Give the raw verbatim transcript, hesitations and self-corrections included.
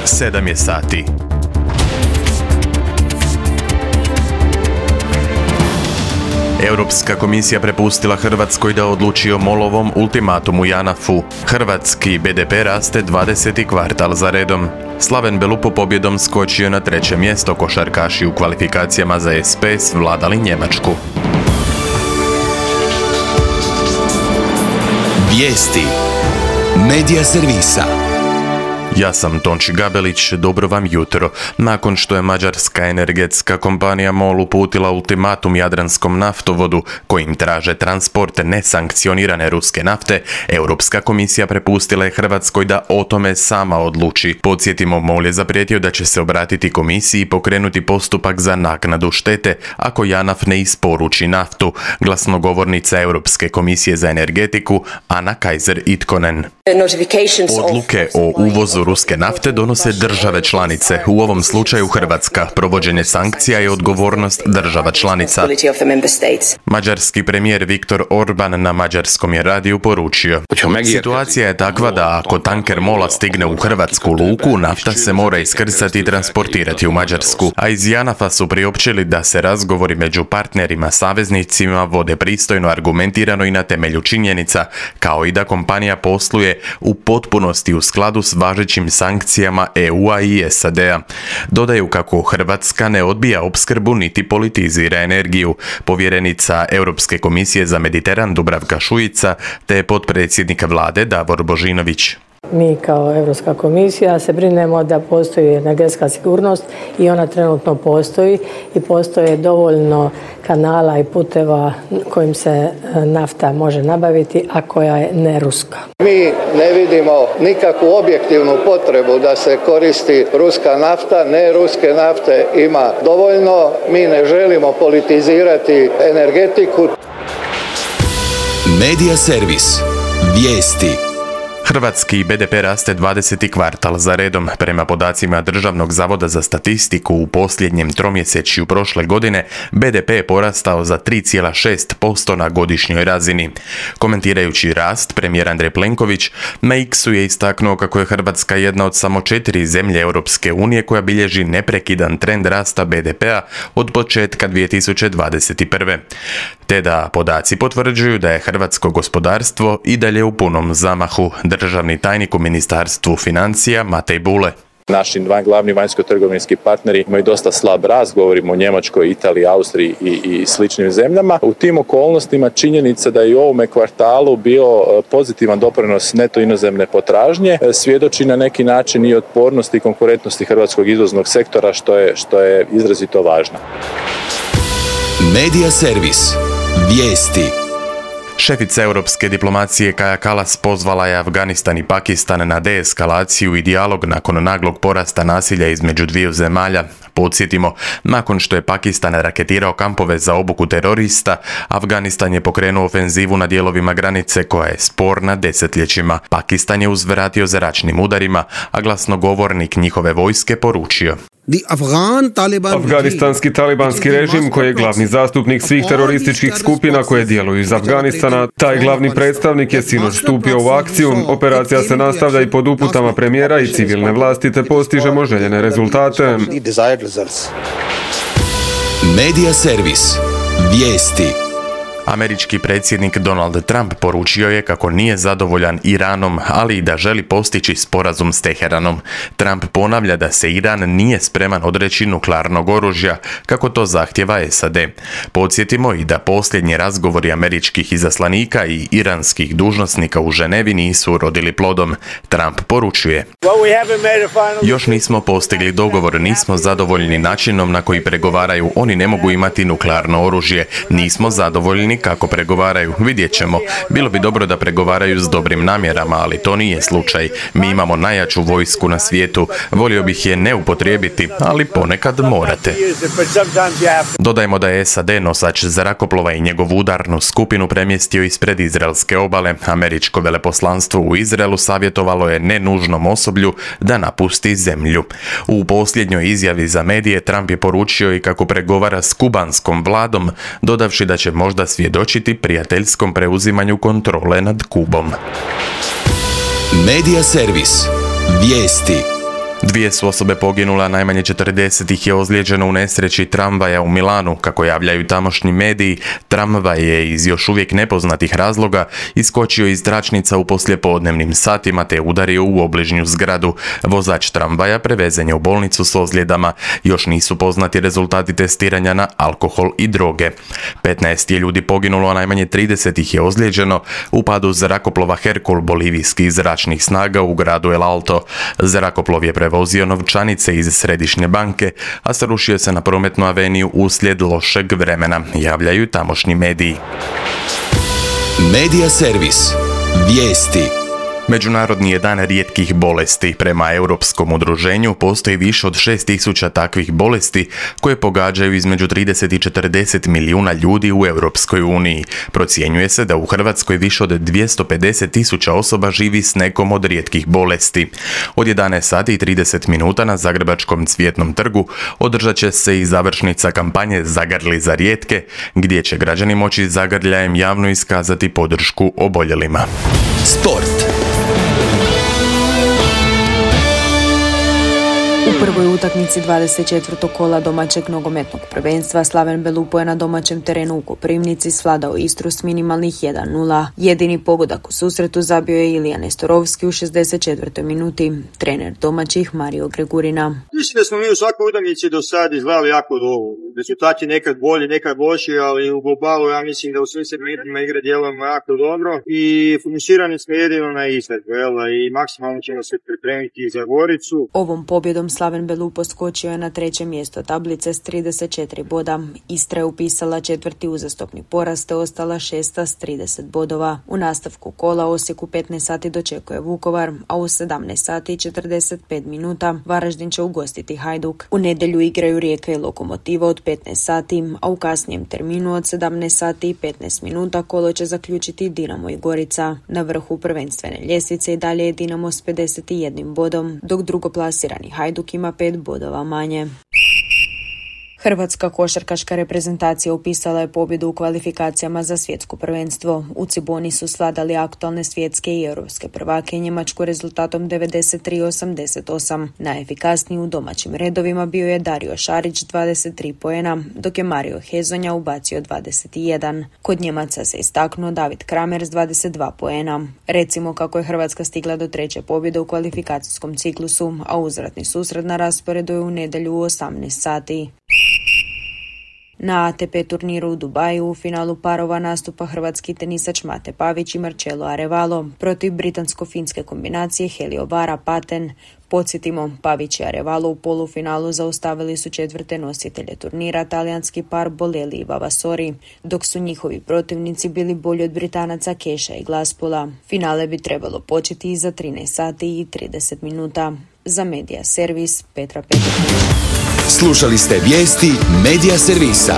sedam je sati. Europska komisija prepustila Hrvatskoj da odluči o Molovom ultimatumu Janafu. Hrvatski be de pe raste dvadeseti kvartal za redom. Slaven Belupo pobjedom skočio na treće mjesto, košarkaši u kvalifikacijama za es pe svladali Njemačku. Vijesti Medija servisa. Ja sam Tonči Gabelić, dobro vam jutro. Nakon što je mađarska energetska kompanija MOL uputila ultimatum Jadranskom naftovodu kojim traže transport nesankcionirane ruske nafte, Europska komisija prepustila je Hrvatskoj da o tome sama odluči. Podsjetimo, MOL je zaprijetio da će se obratiti komisiji i pokrenuti postupak za naknadu štete ako Janaf ne isporuči naftu, glasnogovornica Europske komisije za energetiku Anna Kaiser-Itkonen. Odluke o uvozu ruske nafte donose države članice, u ovom slučaju Hrvatska. Provođenje sankcija je odgovornost država članica. Mađarski premijer Viktor Orban na mađarskom je radiju poručio: situacija je takva da ako tanker MOL-a stigne u hrvatsku luku, nafta se mora iskrcati i transportirati u Mađarsku. A iz Janafa su priopćili da se razgovori među partnerima saveznicima vode pristojno, argumentirano i na temelju činjenica, kao i da kompanija posluje u potpunosti u skladu s važećim sankcijama e u-a i es a de-a. Dodaju kako Hrvatska ne odbija opskrbu niti politizira energiju. Povjerenica Europske komisije za Mediteran Dubravka Šuica te potpredsjednik vlade Davor Božinović. Mi kao Europska komisija se brinemo da postoji energetska sigurnost i ona trenutno postoji i postoje dovoljno kanala i puteva kojim se nafta može nabaviti, a koja je ne ruska. Mi ne vidimo nikakvu objektivnu potrebu da se koristi ruska nafta, ne ruske nafte ima dovoljno, mi ne želimo politizirati energetiku. Medija servis. Vijesti. Hrvatski be de pe raste dvadeseti kvartal za redom. Prema podacima Državnog zavoda za statistiku u posljednjem tromjesečju prošle godine be de pe je porastao za tri zarez šest posto na godišnjoj razini. Komentirajući rast, premijer Andrej Plenković na X-u je istaknuo kako je Hrvatska jedna od samo četiri zemlje Europske unije koja bilježi neprekidan trend rasta be de pe-a od početka dvije tisuće dvadeset prve. Te da podaci potvrđuju da je hrvatsko gospodarstvo i dalje u punom zamahu. Državni tajnik u Ministarstvu financija Matej Bule. Naši dva glavni vanjsko-trgovinski partneri imaju dosta slab rast, govorimo o Njemačkoj, Italiji, Austriji i, i sličnim zemljama. U tim okolnostima činjenica da je u ovome kvartalu bio pozitivan doprinos neto inozemne potražnje svjedoči na neki način i otpornosti i konkurentnosti hrvatskog izvoznog sektora, što je, što je izrazito važno. Medija servis. Vijesti. Šefica europske diplomacije Kaja Kallas pozvala je Afganistan i Pakistan na deeskalaciju i dijalog nakon naglog porasta nasilja između dviju zemalja. Podsjetimo, nakon što je Pakistan raketirao kampove za obuku terorista, Afganistan je pokrenuo ofenzivu na dijelovima granice koja je sporna desetljećima. Pakistan je uzvratio zračnim udarima, a glasnogovornik njihove vojske poručio: Afganistanski talibanski režim, koji je glavni zastupnik svih terorističkih skupina koje djeluju iz Afganistana, taj glavni predstavnik je sinoć stupio u akciju. Operacija se nastavlja i pod uputama premijera i civilne vlasti, te postižemo željene rezultate. Medija servis. Vijesti. Američki predsjednik Donald Trump poručio je kako nije zadovoljan Iranom, ali i da želi postići sporazum s Teheranom. Trump ponavlja da se Iran nije spreman odreći nuklearnog oružja, kako to zahtjeva es a de. Podsjetimo i da posljednji razgovori američkih izaslanika i iranskih dužnosnika u Ženevi nisu urodili plodom. Trump poručuje: još nismo postigli dogovor, nismo zadovoljni načinom na koji pregovaraju, oni ne mogu imati nuklearno oružje, nismo zadovoljni kako pregovaraju, vidjet ćemo. Bilo bi dobro da pregovaraju s dobrim namjerama, ali to nije slučaj. Mi imamo najjaču vojsku na svijetu, volio bih je ne upotrijebiti, ali ponekad morate. Dodajmo da je es a de nosač zrakoplova i njegovu udarnu skupinu premjestio ispred izraelske obale. Američko veleposlanstvo u Izraelu savjetovalo je nenužnom osoblju da napusti zemlju. U posljednjoj izjavi za medije Trump je poručio i kako pregovara s kubanskom vladom, dodavši da će možda svjedočiti prijateljskom preuzimanju kontrole nad Kubom. Medija servis. Vijesti. Dvije su osobe poginule, a najmanje četrdeset ih je ozlijeđeno u nesreći tramvaja u Milanu. Kako javljaju tamošnji mediji, tramvaj je iz još uvijek nepoznatih razloga iskočio iz tračnica u poslijepodnevnim satima te udario u obližnju zgradu. Vozač tramvaja prevezen je u bolnicu s ozljedama. Još nisu poznati rezultati testiranja na alkohol i droge. petnaest je ljudi poginulo, a najmanje trideset ih je ozlijeđeno u padu zrakoplova Herkul bolivijskih zračnih snaga u gradu El Alto. Zrakoplov je prevozio novčanice iz središnje banke, a srušio se na prometnu aveniju uslijed lošeg vremena, javljaju tamošnji mediji. Medija servis. Vijesti. Međunarodni je dan rijetkih bolesti. Prema Europskom udruženju postoji više od šest tisuća takvih bolesti koje pogađaju između trideset i četrdeset milijuna ljudi u Europskoj uniji. Procjenjuje se da u Hrvatskoj više od dvjesto pedeset tisuća osoba živi s nekom od rijetkih bolesti. Od jedanaest sati i trideset minuta na Zagrebačkom Cvjetnom trgu održat će se i završnica kampanje Zagrli za rijetke, gdje će građani moći zagrljajem javno iskazati podršku oboljelima. Sport. U prvoj utakmici dvadeset četvrtog kola domaćeg nogometnog prvenstva Slaven Belupo je na domaćem terenu u Koprivnici svladao Istru s minimalnih jedan nula. Jedini pogodak u susretu zabio je Ilija Nestorovski u šezdeset četvrtoj minuti. Trener domaćih Mario Gregurina. Mislim da smo mi u svakoj utakmici do sad izgledali jako dobro. Rezultati nekad bolji, nekad loši, ali u globalu ja mislim da u svim segmentima igre djelujemo jako dobro i fokusirani smo jedino na izvedbu, i maksimalno ćemo se pripremiti za Goricu. Ovom pobjedom Slaven Belupo skočio je na treće mjesto tablice s trideset četiri boda. Istra je upisala četvrti uzastopni porast te ostala šesta s trideset bodova. U nastavku kola Osijek u petnaest sati dočekuje Vukovar, a u sedamnaest sati i četrdeset pet minuta Varaždin će ugostiti Hajduk. U nedjelju igraju Rijeka i Lokomotiva od petnaest sati, a u kasnijem terminu od sedamnaest sati i petnaest minuta kolo će zaključiti Dinamo i Gorica. Na vrhu prvenstvene ljestvice i dalje je Dinamo s pedeset jednim bodom, dok drugoplasirani Hajduk ima pet bodova manje. Hrvatska košarkaška reprezentacija upisala je pobjedu u kvalifikacijama za svjetsko prvenstvo. U Ciboni su svladali aktualne svjetske i europske prvake Njemačku rezultatom devedeset tri osamdeset osam. Najefikasniji u domaćim redovima bio je Dario Šarić dvadeset tri poena, dok je Mario Hezonja ubacio dvadeset jedan. Kod Njemaca se istaknuo David Kramer s dvadeset dva poena. Recimo kako je Hrvatska stigla do treće pobjede u kvalifikacijskom ciklusu, a uzvratni susret na rasporedu je u nedjelju u osamnaest sati. Na A T P turniru u Dubaju u finalu parova nastupa hrvatski tenisač Mate Pavić i Marcelo Arevalo protiv britansko-finske kombinacije Helio Vara Paten. Podsjetimo, Pavić i Arevalo u polufinalu zaustavili su četvrte nositelje turnira, talijanski par Bolelli i Vavasori, dok su njihovi protivnici bili bolji od Britanaca Keša i Glaspola. Finale bi trebalo početi iza trinaest sati i trideset minuta. Za Medija servis Petra Petrović. Slušali ste vijesti Medija servisa.